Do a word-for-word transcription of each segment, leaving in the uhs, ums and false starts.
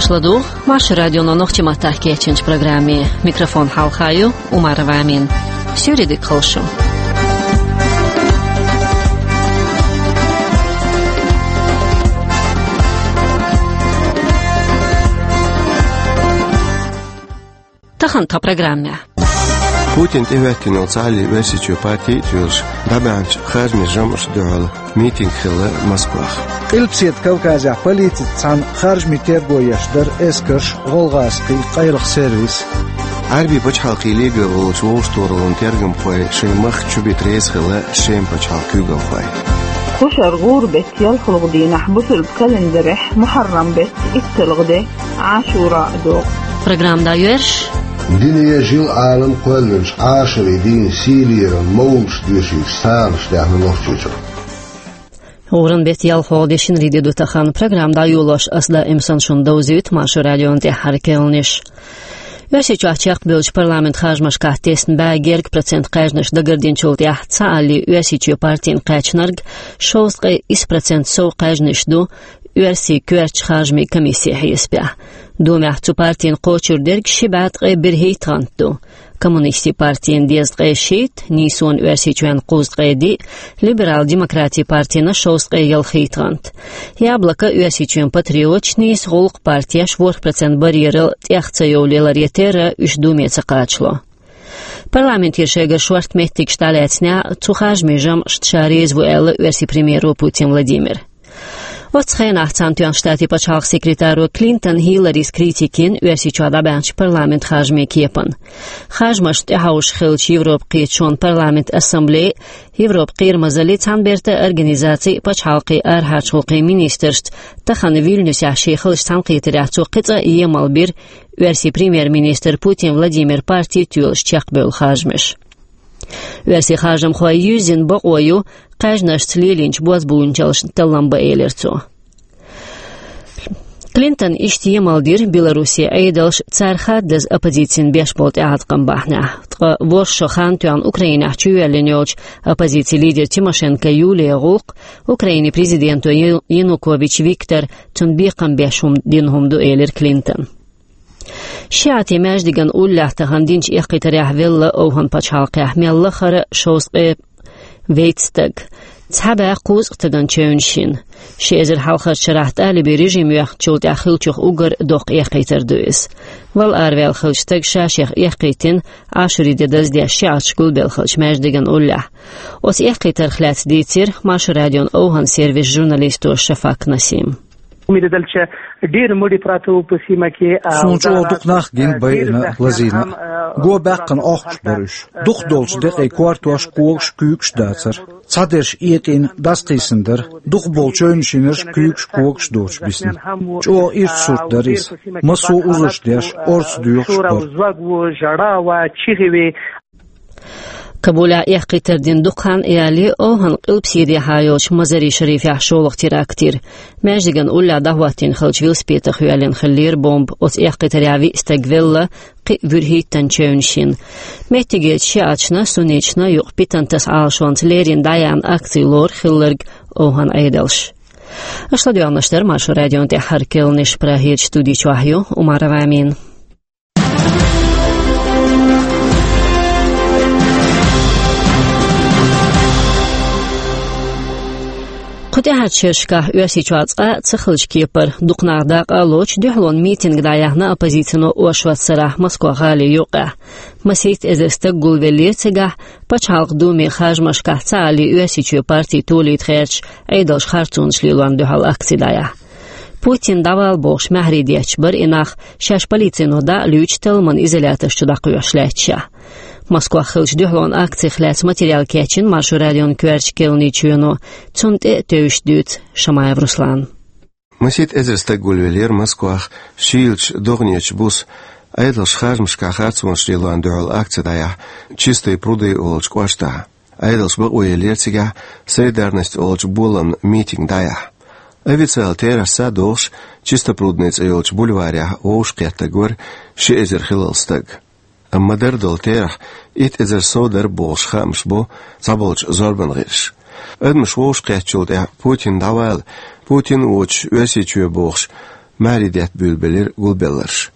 Ладугӏа Маршо радионо нохчийн маттахь кечйинчу программе. Микрофон хьалха ю Умарова Амина. Суьйре дика хуьлда шун. Тахана тхан программехь. Путина тӀехӀоьттина йолу цхьааллин Оьрсийчоь партий а тоьлуш, дӀабаьхьначу харжамийн жамӀашна дуьхьал митинг хилла Москвахь. Къилбаседа Кавказехь полицица цхьаьна харжамийн терго еш дара эскарш, гӀалгӀазкхийн къайлаха сервис. Ӏаьрбийн пачхьалкхийн лига олучу вовшахтохараллин тергамхой шайн махка чубита реза хилла Шеман пачхьалкхан куьйгалхой. Кху шарахь гӀуран беттан ялхалгӀа дийнахь бусалба календарехь Мухьаррам беттан итталгӀа де Ӏашура а догӀу. Программа дӀайоьрзуш. Дуьне, жил-Ӏалам кхоьллинчу Ӏашурин дийнан сийлера мовлидаш доьшуьйтуш сагӀанаш даьхна Нохчийчохь. ГӀуран беттан ялхалгӀа де шинарин де ду тахана. Программа дӀайолош ас даим санна шуна довзуьйту Маршо радион тӀаьххьара керланаш. Оьрсийчохь чекхбевллачу парламентан харжамашкахь тесна бӀе гергга процент кхаьжнаш дагардинчул тӀаьхьа цхьааллин Оьрсийчоь партина кхаьчнарг шовзткъе исс процент сов кхаьжнаш ду Оьрсийн коьртачу харжамийн комиссин хьесапехь. Думехь цу партина кхочур дерг ши бӀе ткъе берхӀитта гӀант ду. Коммунистийн партина дезткъе шийтта, Нийсонан Оьрсийчоьнан кхузткъе диъ, Либерал-демократийн партина шовзткъе ялхитта гӀант. Яблоко, Оьрсийчоьнан патриоташ, Нийса гӀуллакх партеш ворхӀ процент барьерал тӀех ца йовлийларе терра уьш Думе ца кхачало. Парламентера шайгара шортта меттигаш дӀалаьцнехь, цу харжамийн жамӀашна ша реза ву аьлла Оьрсийн премьеро Путин Владимира. Оццу хенахь цхьаьнатоьхначу Штатийн пачхьалкхан секретаро Клинтон Хилларис критика йина Оьрсийчохь дӀабаьхьначу парламентан харжамийн кепана. Харжамашна тӀехьовшахь хиллачу Европан Кхеташонан парламентан ассамблей, Европан кхерамазаллин цхьаьнабертан организацин, пачхьалкхийн арахьарчу гӀуллакхийн министрашца тахана Вильнюсехь шен хиллачу цхьаьнакхетарехь цо кхин цкъа а емал бира Оьрсийн премьер-министран Путин Владимиран парти тоьлуш чекхбевлла харжамаш. Оьрсийн харжамхой юьззина бакъо ю кхаьжнашца лелийначу бозбуунчаллашна таллам бан, элира цо. Клинтона иштта емал дира Белоруссин Ӏедалш цара хаддаза оппозицина беш болу тӀеӀаткъам бахьанехь. Ткъа ворхӀ шо хан тоьхна Украинехь чуйоьллина йолчу оппозицин лидеран Тимошенко Юлиян гӀуллакх, Украинин президенто Ю-, Янукович Викторан цунна бекхам беш хӀума дина хӀума ду, элира Клинтона. ШиӀатийн маьждиган уллехь тахана динчу эккхийтарехь велла ОвхӀан-пачхьалкхехь мел лахара шовзткъе вейтта стаг. Цхьа бӀе кхузткъа стагана чевнаш йина. Ши эзар хьалхарчу шарахь талибийн режим йоьхначул тӀаьхьа хиллачух уггар доккха эккхийтар ду иза. Вала араваьлла хиллачу стага ша-шех эккхийтина, Ӏашурин де даздеш шиӀаташ гулбелла хиллачу маьждиган уллехь. Оцу эккхийтарх лаьцна дийцира Маршо радион ОвхӀан сервисан журналисто Шафак Насима. Уьмидалча дир муди прату пусимаки. Суна чӀогӀа дукха нах гина, байина, лазийна. Го баьккхина охкуш бара уьш. Дукхах долчу декъий кортош, когаш, куьйгаш дацара. Цхьадерш экъийна, дӀасакхийсина дара. Дукхахболу чевнаш йинарш куьйгаш, когаш доцуш бисна. ЧӀогӀа ирча сурт дара иза. Массо а узарш деш, орца доьхуш бара. Кабулехь эккхийтар дина дукха хан ялале, ОвхӀан-Къилбаседехьа йолчу Мазари-Шарифехь шолгӀа теракт йира. Маьждиган уллехь дӀахӀоттийна хиллачу велосипедах йоьллина хиллера бомба. Оцу эккхийтарехь виъ стаг велла, кхин а вуьрхӀиттанна чевнаш йина. Меттигерчу шиӀаташна, сунниташна юкъа питантас Ӏалашонца леррина дӀаяьхьна акци лору хилларг ОвхӀан-Ӏедалша. Аша ладоьгӀнарш дара Маршо радион тӀаьххьара керланаш. Прагерчу студи чохь ю Умарова Амина. Кху тӀаьххьарчу шерашкахь Оьрсийчохь цкъа а ца хиллачу кепара, дукха нах дакъа а лоцуш, дуьхьалонан митинг дӀаяьхьна оппозицино оршот сарахь Москва-гӀалин юккъехь. Масийтта эзар стаг гулвеллера цигахь, Пачхьалкхан Думин харжамашкахь Цхьааллин Оьрсийчоь парти толийта гӀертачу Ӏедалша харцонаш лелорна дуьхьал акци дӀаяьхьна. Путин дӀавала бохуш маьхьарий детташ бара и нах, шаьш полицино дӀа а луьйчу талламан изоляторш чу дӀакхоьхьуш лаьтташехь. Москвахь хиллачу дуьхьалонан акцих лаьцна материал кечйина Маршо радион коьртачу керланийн чоьно, цунна тӀе а тевжаш дуьйцу Шамаев Руслана. Масийтта эзар стаг гулвеллера Москвахь шийлачу догӀанечу буса, Ӏедалша харжамашкахь харцонаш лелорна дуьхьал акци дӀаяьхьна Чистые пруды олучу кӀоштахь. Ӏедалша бакъо еллера цигахь «Солидарность» олучу боламна митинг дӀаяьхьна. Официалан терахьца догӀуш, Чистопрудный цӀе йолчу бульварехь вовшахкхеттарг вара ши эзар хиллал стаг. Амма дара долу терахь итт эзар сов дара бохуш хаамаш бо цхьаболчу зорбан гӀирсаша. Адамаш вовшахкхеттачул тӀаьхьа «Путин дӀавала, Путин воцуш Оьрсийчоь» бохуш, маьхьарий детта буьйлабелира гулбелларш.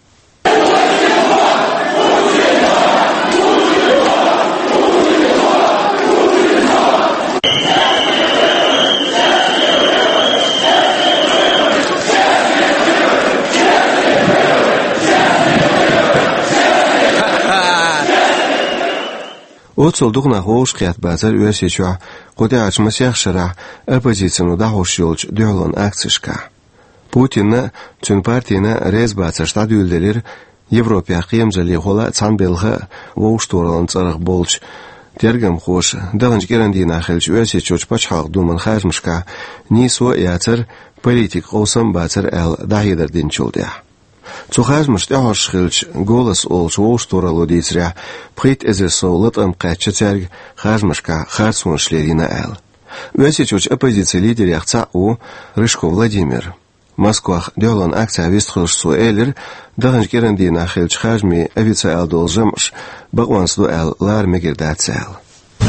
Оццул дукха нах вовшахкхетта бацара Оьрсийчохь кху тӀаьхьарчу масех шарахь оппозицино дӀахьош йолчу дуьхьалонан акцешкахь. Путинна а, цуьнан партина а реза бацарш дӀадуьйладелира Европехь кхерамзаллехула а, цхьана белхан а вовшахтохараллин цӀарах болчу тергамхоша, даханчу кӀиран дийнахь хиллачу Оьрсийчуьрчу пачхьалкхан думан харжамашкахь нийсо а яцара, политикан къовсам а бацара аьлла дӀахьедар динчул тӀаьхьа. Цу харжамашна тӀаьхьожуш хиллачу «Голос» олучу вовшахтохаралло дийцарехь, пхийтта эзар сов латам кхаьчна цаьрга харжамашкахь харцонаш лелийна аьлла. Оьрсийчуьрчу оппозицин лидерех цхьаъ ву Рыжков Владимир. Москвахь дуьхьалонан акцехь вистхилча цо элира, даханчу кӀиран дийнахь хиллачу харжамийн официалан долу жамӀаш бакъонца ду аьлла лара мегар дац аьлла.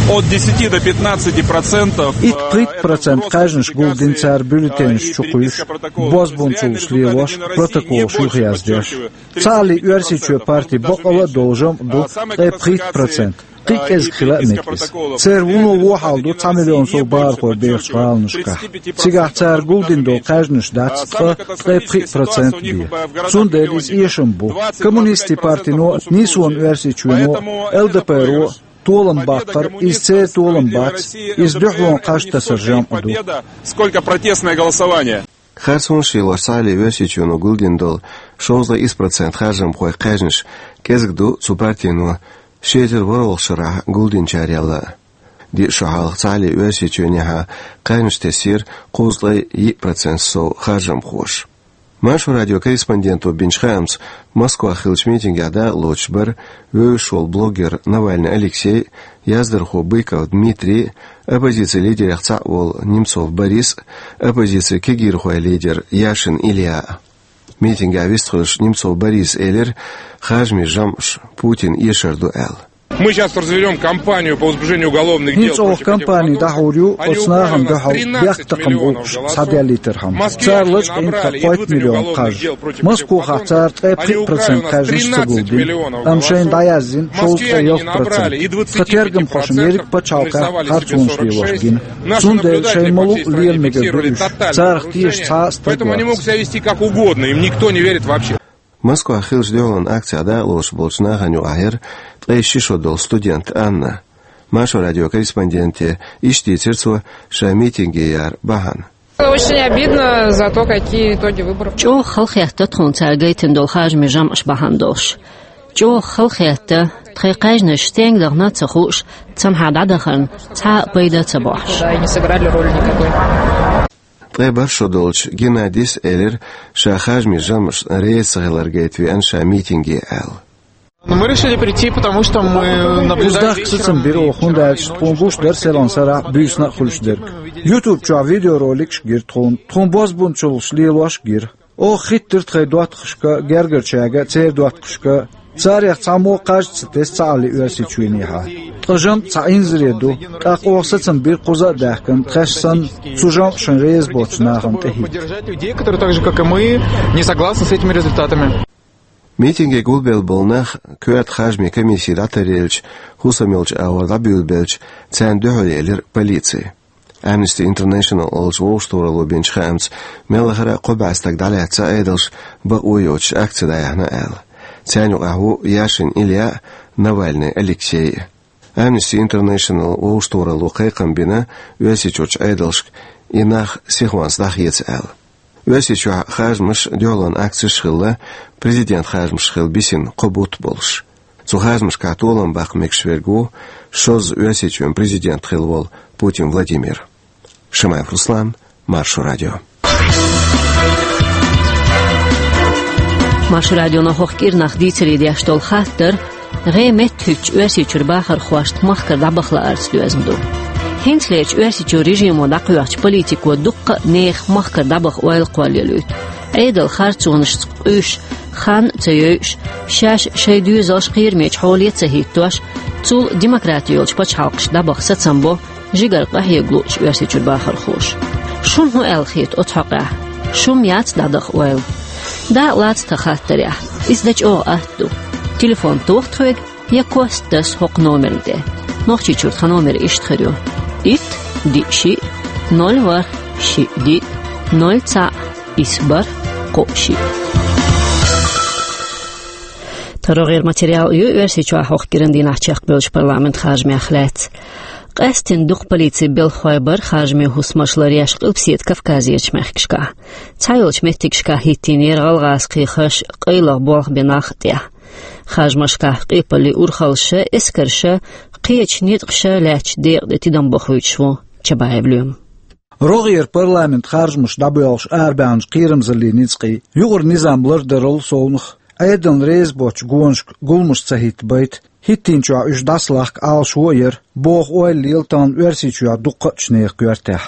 От десяти до пятнадцати процентов. Итт-пхийтта процент кхаьжнаш гулдина цара бюллетенаш чу кхуьйсуш, бозбунчаллаш лелош, протоколаш юхаяздеш. Цхьаалле Оьрсийчоь парти бакъалла а долу жамӀ ду, ткъе пхийтта процент. Кхин а кӀезиг хила а мега иза. Церан вуно вон хьал ду цхьа миллион сов бахархой бехачу гӀаланашкахь. Цигахь цара гулдина долу кхаьжнаш дац ткъа, ткъе пхиъ процент бен. Цундела иза эшам бу. Коммунистийн партино а, нийсонан Оьрсийчоьно а, ЛДПР-о а толам баккхар, иза церан толам бац, иза дуьхьалонан кхаж тасар жамӀ ду. Сколько протестное голосование? Харцонаш лелош цхьаалле Оьрсийчоьно гулдина долу шовзткъе исс процент харжамхойн кхаьжнаш кӀезиг ду цу партино ши эзар ворхӀалгӀачу шарахь гулдинчарел а. Диъ шо хьалха цхьаалле Оьрсийчоьнехьа кхаьжнаш тесира кхузткъе йиъ процент сов харжамхоша. Маршо радион корреспонденто бинчу хаамца, Москвахь хиллачу митингехь дакъалоцуш бара вевзаш волу блогер Навальный Алексей, яздархо Быков Дмитрий, оппозицин лидерех цхьаъ волу Немцов Борис, оппозицин кегийрхойн лидер Яшин Илья. Митингехь вистхилча Немцов Бориса элира, харжамийн жамӀаш Путинан эшар ду аьлла. Мы сейчас развернём кампанию по возбуждению уголовных дел против этих бандов. ХӀинца оха кампани дӀахьур ю оцу нахана дуьхьал бехктакхаман гӀуллакхаш схьаделлийтархьама. Цара лачкъийна тхан кхойтта миллион кхаж. Москвахь цара ткъе пхиъ процент кхаьжнаш ца гулдина, амма шайна дӀаяздина шовзткъе ялх процент. Тхан тергамхошна ерриг пачхьалкхехь харцонаш лелош гина. Цундела шайна ма-луъу лела мегар ду уьш. Царах теша цхьа а стаг вац. Поэтому они могут себя вести как угодно, им никто не верит вообще. Москвахь хиллачу дуьхьалонан акцехь дакъалоцуш болчу нахана юкъахь яра ткъе ши шо долу студент Анна. Маршо радион корреспонденте иштта дийцира цо шайн митинге яра бахьана. Очень обидно за то, какие итоги выборов. ЧӀогӀа халахетта тхуна цара гайтина долу харжамийн жамӀаш бахьана долуш. ЧӀогӀа халахетта, тхайн кхаьжнаш стенга дахана а ца хууш, цхьанхьа дӀадахарна цхьа а пайда а ца бохьуш. Да, и не сыграли роли никакой. Ткъе бархӀ шо долчу Геннадис элира, ша харжамийн жамӀашна реза ца хилар гайта веана ша митинге аьлла. Ну, мы решили прийти, потому что мы наблюдаем вечером. Иза дахка сацам бира оха, хӀунда аьлча тхуна гуш дара селхана сарахь буьйсанна а хуьлуш дерг. YouTube чохь видеороликаш гира тхуна, тхуна бозбунчаллаш лелош гира. Оха хӀиттира тхайн доттагӀашка, гергарчаьрга, церан доттагӀашка. Царех цхьаммо кхаж ца тесна цхьаалле Оьрсийчоьнехьа. Ткъа жамӀ цхьа инзаре ду, тӀаккха оха сацам бира кхуза а даьхкина, тхаьш санна, цу жамӀашна реза боцчу нахана тӀехӀитта. Поддержать людей, которые так же, как и мы, не согласны с этими результатами. Митинге гулбелла болу нах коьрта харжамийн комисси дӀатаръелча, хӀусам йолчу агӀор дӀабуьйлабелча, царна дуьхьал елира полици. Amnesty International олучу вовшахтохаралло бинчу хаамца, мелла а хӀара кхо бӀе стаг дӀалаьцна Ӏедалша бакъо йоцуш акци дӀаяьхьна аьлла. Царна юкъахь ву Яшин Илья а, Навальный Алексей а. Amnesty International вовшахтохаралло кхайкхам бина Оьрсийчуьрчу Ӏедалшка, и нах сихонца дӀахеца аьлла. Оьрсийчохь харжамаш, дуьхьалонан акцеш а хилла, президент харжамаш хила бисина кхо бутт болуш. Цу харжамашкахь толам баккха мегаш верг ву шозза Оьрсийчоьнан президент хилла волу Путин Владимир. Шамаев Руслан, Маршо радио. Маршо радионо хӀокху кӀирнах дийцаре деш долу хаттар гӀе меттахӀуьттучу Оьрсийчуьра бахархошна махкара дӀабаха лаарца доьзна ду. ХӀинцалерчу Оьрсийчуьра режимо дӀакхоьхьучу политико дуккха а нехан махкара дӀабаха ойла кхоллалуьйту. Ӏедал харцонашца къуьйсуш, хан а ца йойуш, шаьш шайн доьзалш кхерамечу хьоле а ца хӀиттош, цул демократи йолчу пачхьалкхашка дӀабаха сацам бо жигара къахьега луучу Оьрсийчуьра бахархоша. Шуна хӀун аьлла хета оцу хьокъехь? Шу-м яц дӀадаха ойла? Дакъа лаца тхан хаттарехь. Иза дан чӀогӀа атта ду. Телефон тоха тхоьга, я кост таса хӀокху номерна тӀе. Нохчийчуьра тхан номер иштта хир ю: итт, диъ, шиъ, ноль, ворхӀ, шиъ, диъ, ноль, цхьаъ, исс, бархӀ, кхоъ, шиъ. Тхан рогӀера материал ю Оьрсийчохь хӀокху кӀиран дийнахь чекхбевллачу парламентан харжамех лаьцна. Къаьсттина дукха полицин белхалой бара харжамийн хӀусамаш ларъеш Къилбаседа Кавказерчу мехкашкахь. Цхьайолчу меттигашкахь хӀиттийнера гӀалгӀазкхийн хаза къайлаха болх бен нах а тӀехь. Харжамашкахь къепаллин урхаллаша, эскарша, кхечу ницкъаша лаьттачу декъа тӀе тидам бохуьйтуш ву Чабаев Лоьма. РогӀера парламентан харжамаш дӀабоьлхуш арабаьхначу кхерамзаллин ницкъийн юкъара низам лардарал совнаха, Ӏедална реза боцчу гонашка гуламаш ца хӀиттабайта, хӀиттийначохь уьш дӀасалахка Ӏалашо а яра, боху ойла лела тахана Оьрсийчохь дуккхачу нехан коьртехь.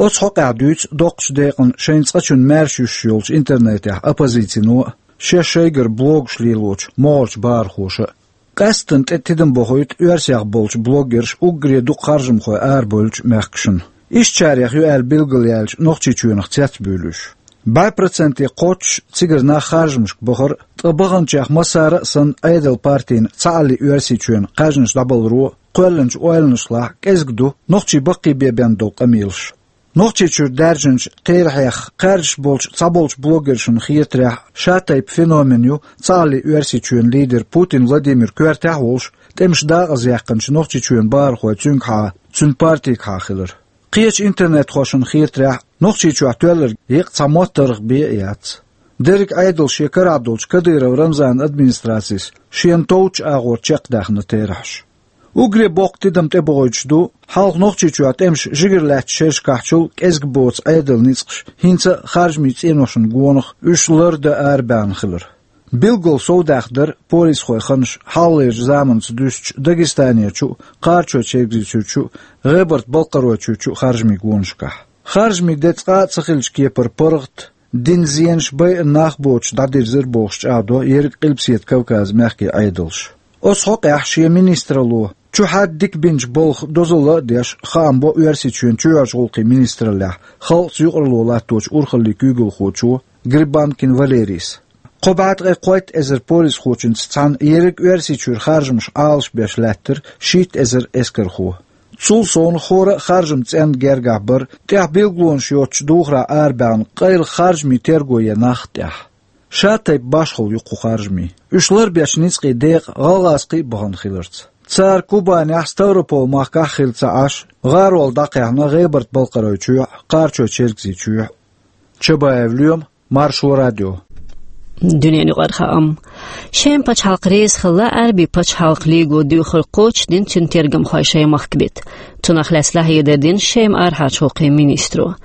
Оцу хьокъехь дуьйцу доккхачу декъана шайн цкъачунна маьрша юьсуш йолчу интернетехь оппозицино а, шаьш шайгара блогаш лелочу могӀарчу бахархоша а. Къаьсттина тӀе тидам бохуьйту оьрсех болчу блогерша уггаре дукха харжамхой арабевллачу мехкашна. Ишттачарех ю аьлла билгалъяьлча, Нохчийчоьнах цецбуьйлу уьш. БӀе проценте кхоччуш цигара нах харжамашка бахара, ткъа баханчех массара а санна Ӏедалан партина цхьаалле Оьрсийчоьнан кхаьжнаш дӀабаларо кхоьллинчу ойланашлахь кӀезиг ду нохчийн баккхийбен бен долу къамелаш. Нохчийчуьра даьржинчу, кхеран хьех кхаьрдаш болчу цхьаболчу блогершна хетарехь, шатайпа феномен ю цхьаалле Оьрсийчоьнан лидер Путин Владимир коьртехь а волуш, тӀемаш дакъазъяьккхинчу Нохчийчоьнан бахархой цуьнгахьа, цуьнан партигахьа хилар. Кхечу интернетхошна хетарехь, Нохчийчохь тоьлларг еккъа цхьа моттаргӀа бен а яц. Дерриг Ӏедал шен карахь долчу Кадыров Рамзанан администрацис шена товчу агӀор чекхдаьхна терахьаш. Уггаре боккха тидам тӀебохуьйтуш ду, хьалха Нохчийчохь тӀемаш жигара лаьттачу шерашкахьчул кӀезиг боцу Ӏедалан ницкъаш хӀинца а харжамийн цӀеношна гонах уьш лардан арабаьхна хилар. Билггал совдаьхна дара полисхойн ханаш хьалхалерчу заманца дуьстича Дагестанерчу а, Кхарачой-Чергазийчуьрчу а, ГӀебарта-Балкхаройчуьрчу а харжамийн гонашкахь. Харжамийн де цкъа а ца хиллачу кепара паргӀат, дина зенаш, байъина нах боцуш дӀадирзира бохуш чӀагӀдо ерриг Къилбаседа Кавказан мехкийн Ӏедалша. Оцу хьокъехь шен министралло чу хьаьдда дика бинчу балха дозалла а деш, хаам бо Оьрсийчоьнан чоьхьарчу гӀуллакхийн министраллехь халкъаца юкъаралла латточу урхаллийн куьйгалхочо Грибанкин Валерийс. Кхо бӀе ткъе кхойтта эзар полисхочуьнца цхьаьна ерриг Оьрсийчуьра харжамаш Ӏалашбеш лаьттара шийтта эзар эскархо. Цул совнаха хӀора а харжаман цӀенна гергахь бара тӀехь билгалонаш йоцучу духарехь арабаьхна къайлаха харжамийн терго ян нах а тӀехь. Шатайпа башхалла ю кху харжамийн. Уьш ларбечу ницкъийн декъа гӀалгӀазкхий а бахана хиларца. Цара Кубанехь а, Ставрополь-махкахь а хилла ца Ӏаш, гӀарол дӀакхехьна ГӀебарта-Балкхаройчохь а, Кхарачой-Чергазийчохь а. Чабаев Лоьма, Маршо радио. Дуьненан юкъара хаам. Шеман пачхьалкх реза хилла Ӏаьрбийн пачхьалкхан лиго доьхург кхочушдина цуьнан тергамхой шайн махка бита. Цунах лаьцна дӀахьедар дина Шеман арахьарчу гӀуллакхийн министро.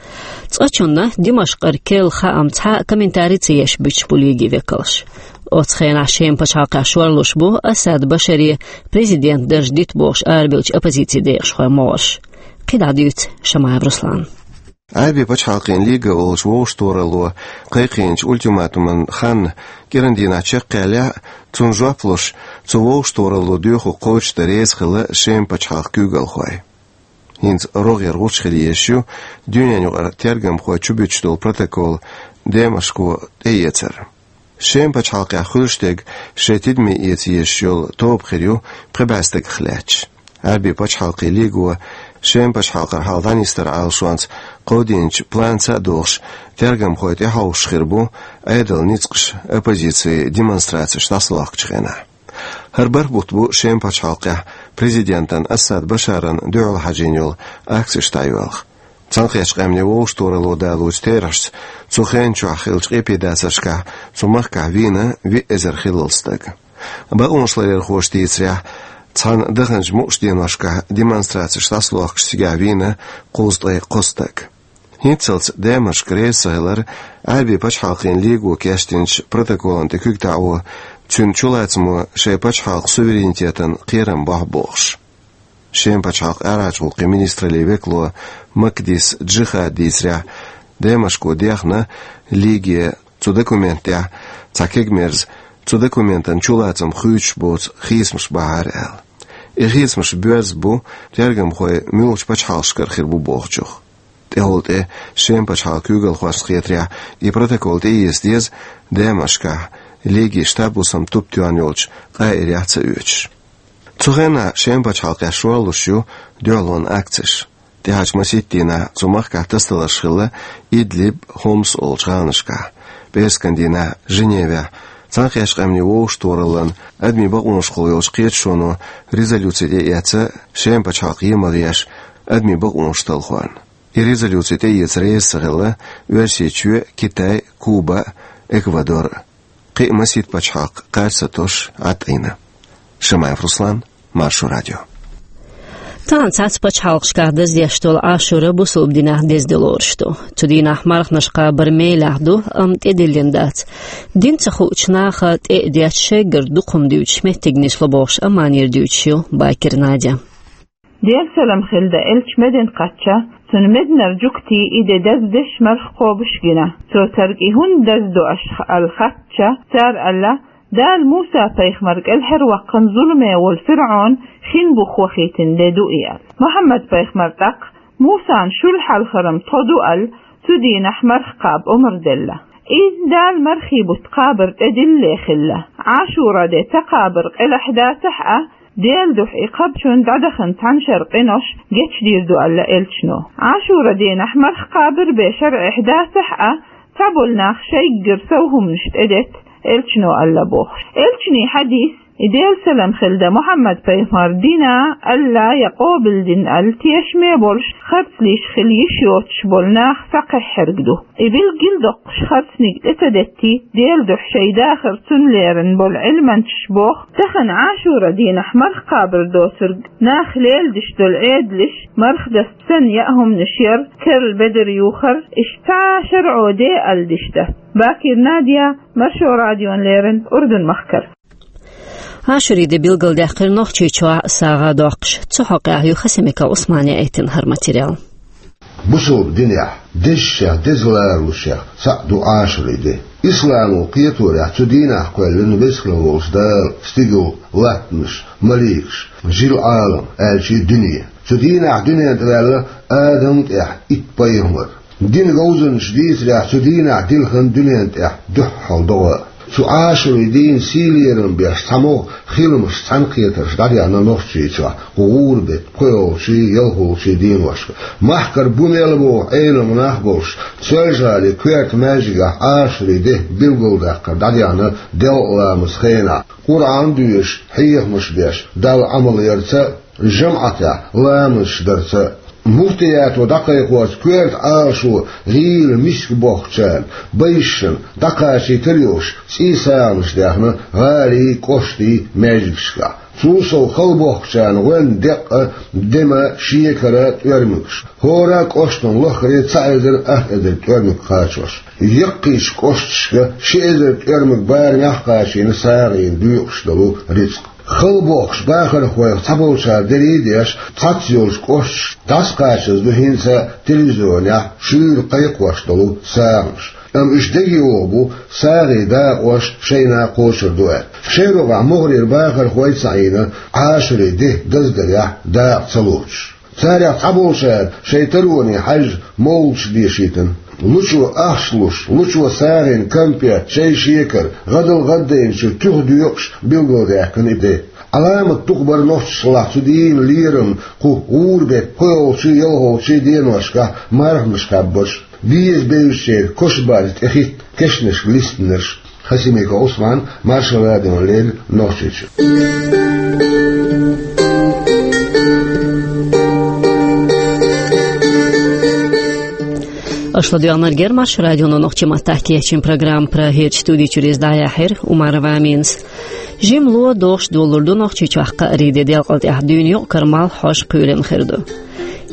Цкъачунна Димашкъера керла хаам цхьа а комментари ца еш буьтуш бу лигийн векалш. Оцу хенахь Шеман пачхьалкхехь шорлуш бу Асад Башаре президентан дарж дита бохуш арабевллачу оппозицин декъашхойн могӀарш. КхидӀа дуьйцу Шамаев Руслана. Ӏаьрбийн пачхьалкхийн лиго олучу вовшахтохаралло кхайкхийначу ультиматуман хан кӀиран дийнахь чекхъяьллехь а, цунна жоп луш, цу вовшахтохаралло доьхург кхочушдан реза хилла Шеман пачхьалкхан куьйгалхой. ХӀинца рогӀера гӀулч хила езаш ю дуьненан юкъара тергамхой чубуьтуш долу протокол Демашко тӀеэцар. Шеман пачхьалкхехь хуьлуш дерг шайн тидаме эца езаш йолу тоба хир ю пхи бӀе стагах лаьтташ. Ӏаьрбийн пачхьалкхийн лиго Шеман пачхьалкхара хьал дӀанисдаран Ӏалашонца кховдийначу планца а догӀуш, тергамхой тӀехьовсуш хир бу Ӏедалан ницкъаш оппозицин демонстрацеш дӀасалохкучу хенахь. ХӀара бархӀ бутт бу Шеман пачхьалкхехь президентан Асад Башаран дуьхьал хьажийна йолу акцеш дӀайоьлху. Цхьаьнакхеттачу Къаьмнийн вовшахтохаралло далочу терахьашца, цу хенан чохь хиллачу къепедацаршкахь цу махкахь вийна виъ эзар хиллал стаг. Бакъонашларъярхоша дийцарехь, цхьана даханчу мукъачу деношкахь демонстрацеш дӀасалохкуш цигахь вийна кхузткъе кхо стаг. ХӀинццалц Демашк реза ца хилар Ӏаьрбийн пачхьалкхийн лиго кечдинчу протоколна тӀе куьг таӀо, цуьнан чулацамо шайн пачхьалкхан суверенитетан кхерам бохьу бохуш. Шеман пачхьалкхан арахьарчу гӀуллакхийн министраллин векало Макдис Джихада дийцарехь, Демашко дехна лиге цу документ тӀехь цхьа кегамерза, цу документан чулацам хуьйцуш боцу хийцамаш бахьара аьлла. И хийцамаш боьрза бу тергамхой муьлхачу пачхьалкхашкара хир бу бохучух. ТӀехула тӀе Шема пачхьалкхан куьйгалхошна хетарехь, и протокол тӀеэца деза Дамаскехь, легин штаб-хӀусаман тупа тоьхна йолчу Къаирехь ца оьцуш. Цу хенахь Шема пачхьалкхехь шорлуш ю дуьхьалонан акцеш. ТӀаьхьарчу масийтта дийнахь цу махкахь тасадаларш хилла Идлиб, Хомс олучу гӀаланашкахь, пӀераскан дийнахь Женевехь, Цхьаьнакхеттачу Къаьмнийн Вовшахтохараллан адамийн бакъонашкахула йолчу кхеташоно резолюци тӀеэцна Шема пачхьалкх емал еш адамийн бакъонаш талхорна. И резолюци тӀеэца реза ца хилла Оьрсийчоь, Китай, Куба, Эквадор. Кхин а масийтта пачхьалкх кхача ца тосуш Ӏад Ӏийна. Шамаев Руслан, Маршо радио. Тахана цхьацца пачхьалкхашкахь даздеш долу Ӏашура бусалба динехь деза де лоруш ду. Цу дийнахь марханаш кхабар мелехь ду, амма тӀедиллина дац. Дин ца хуучу наха тӀе а детташ, шайгара дукха хӀума дуьйцуш меттиг нисло бохуш, Амманера дуьйцуш ю Бакир Надя. Делан салам хилла элча Медина кхаьчча, цуьнан Мединара жуьгтий и де даздеш марха кхобуш гина. Цо цаьрга: «И хӀунда даздо аша?» аьлла хаьттича, цара аьлла: «Дала Муса-пайхамар кӀелхьарваккхина зуламе волу ФирӀаун хин бух вахийтина де ду и», аьлла. Мухьаммад-пайхамар тӀаккха Мусана шул хьалхара-м тхо ду аьлла, цу дийнахь марха кхаба омра делла. И Дала мархийн бутт кхабар тӀедиллале хилла. Ӏашура де ца кхабар къилахь дацахь а, Делан дуьхьа и кхабчунна дӀадахана цхьана шарахь къинош гечдийр ду аьлла элчано. Ӏашура дийнахь марха кхабар бен шарӀехь дацахь а, цхьаболу нах шайгара сов хӀуманаш тӀедетта элчано аьлла бохуш. Элчанан хьадис, и Делан салам хилла Мухьаммад-пайхамар дина аьлла я къобалдина аьлла тешаме болуш, харцлуьйш хила йиш йоцуш болу нах схьакхехьарг ду. И билггал доккхуш харцниг тӀе ца деттий, Делан дуьхьа шайн дахар цунна лерина болу Ӏилманчаш боху, тахана Ӏашура дийнахь марха кхабар доцург нах леладеш долу Ӏедалш, марха даста санна яа хӀуманаш яр, керла бедар юхар, иштта цхьа шарӀо де аьлла диш дан. Бакир Надя, Маршо радиона лерина, Урдун-махкара. Ӏашура де билгалдаьккхира Нохчийчохь а сагӀа доккхуш. Цу хьокъехь ю Хасимиков Ӏусмана яийтина хӀара материал. Бусалба динехь дезачех деза ларалучех цхьаъ ду Ӏашура де. Исламо кхеторехь цу дийнахь кхоьллина веза хилла волчу Дала стигал, латтанаш, маликаш, жил-Ӏалам, аьлча дуьне. Цу дийнахь дуьнен тӀе ваьлла Адам тӀехь итт пайхамар. Динан говзанчаша дийцарехь, цу дийнахь дилхина дуьнен тӀехь дуьххьал догӀа. Цу Ӏашура дийнан сий-лерам беш цхьамогӀа хиламаш, цхьаьнакхетарш дӀадеана Нохчийчохь кху гӀуран-беттан пхоьалгӀачий, ялхолгӀачий деношка. Махкара бу мел боху Ӏелам нах болуш, Соьлжа-ГӀалин коьрта маьждигехь Ӏашура де билгалдаккхар дӀадеана делкъа ламазан хенахь, Къуръан доьшуш, хьехамаш беш, Далла Ӏамал ярца, жамаӀатехь ламазаш дарца. Муфтиято дӀакхайкхорца коьрта Ӏалашо гӀийла миска бохкучарна, байшашна дӀакхачийтар йолуш, цӀий сагӀанаш даьхна гӀалий, кӀоштий маьждигашкахь. Цул сов хала бохкучарна гӀоьнна декъа, дема, шекара тӀоьрмигаш. ХӀора кӀоштан лаххара цхьа эзар ах эзар тӀоьрмиг кхачош. Яккхийчу кӀошташка ши эзар тӀоьрмиг барамехь кхачийна сагӀина доькъуш долу рицкъ. Хала бохкуш бахархойх цхьаболчара дерриг а деш, цхьацца йолчу кӀошташка дӀасакхачаза ду хӀинца телевизионехь шуьйра кхайкхош долу сагӀанаш. Амма уьш дегайогӀу бу, сагӀина дакъош шайна кхочур ду аьлла. Шайн рогӀехь могӀарера бахархой а ца Ӏийна, Ӏашура де даздарехь дакъа ца лоцуш. Царех цхьаболчара шайн тароне хьаьжжа мовлудаш дешийтина. Лучо ахча луш, лучо сагӀина кампет, шай-шекара, гӀадал гӀаддайначу туьха доькъуш билгалдаьккхина и де. Ӏаламат дукха бара нохчашлахь цу дийнан лерам кху гӀуран-беттан пхоьалгӀачий, ялхолгӀачий деношкахь марханаш кхаьбнарш, беза-бевзачеран кошан барзан тӀе хӀитта кешнашка листинарш. Хасимиков Ӏусман, Маршо радиона леррина, Нохчийчоь. Аша ладоьгӀнарг яра Маршо радион нохчийн маттахь кечйина программа. Прагерчу студи чуьра иза дӀаяьхьира Умарова Аминас. Жимма ло догӀуш долалур ду Нохчийчохь кхаарин де, делкъал тӀехь дуьйна юкъ-кара малх хьожа кхоьлина хир ду.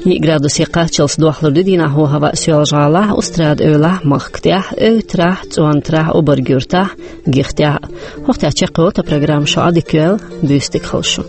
Йиъ градусе кхаччалц дохлур ду дийнахь хӀаваъ Соьлжа-ГӀалахь, Устрада-Эвлахь, Махкатехь, Эвтарахь, ЦӀонтарахь, Обарг-Юьртахь, Гихтехь. ХӀокху тӀехь чекхйолу тхан программа. Шу Ӏадика йойла, буьйса дика хуьлда шун.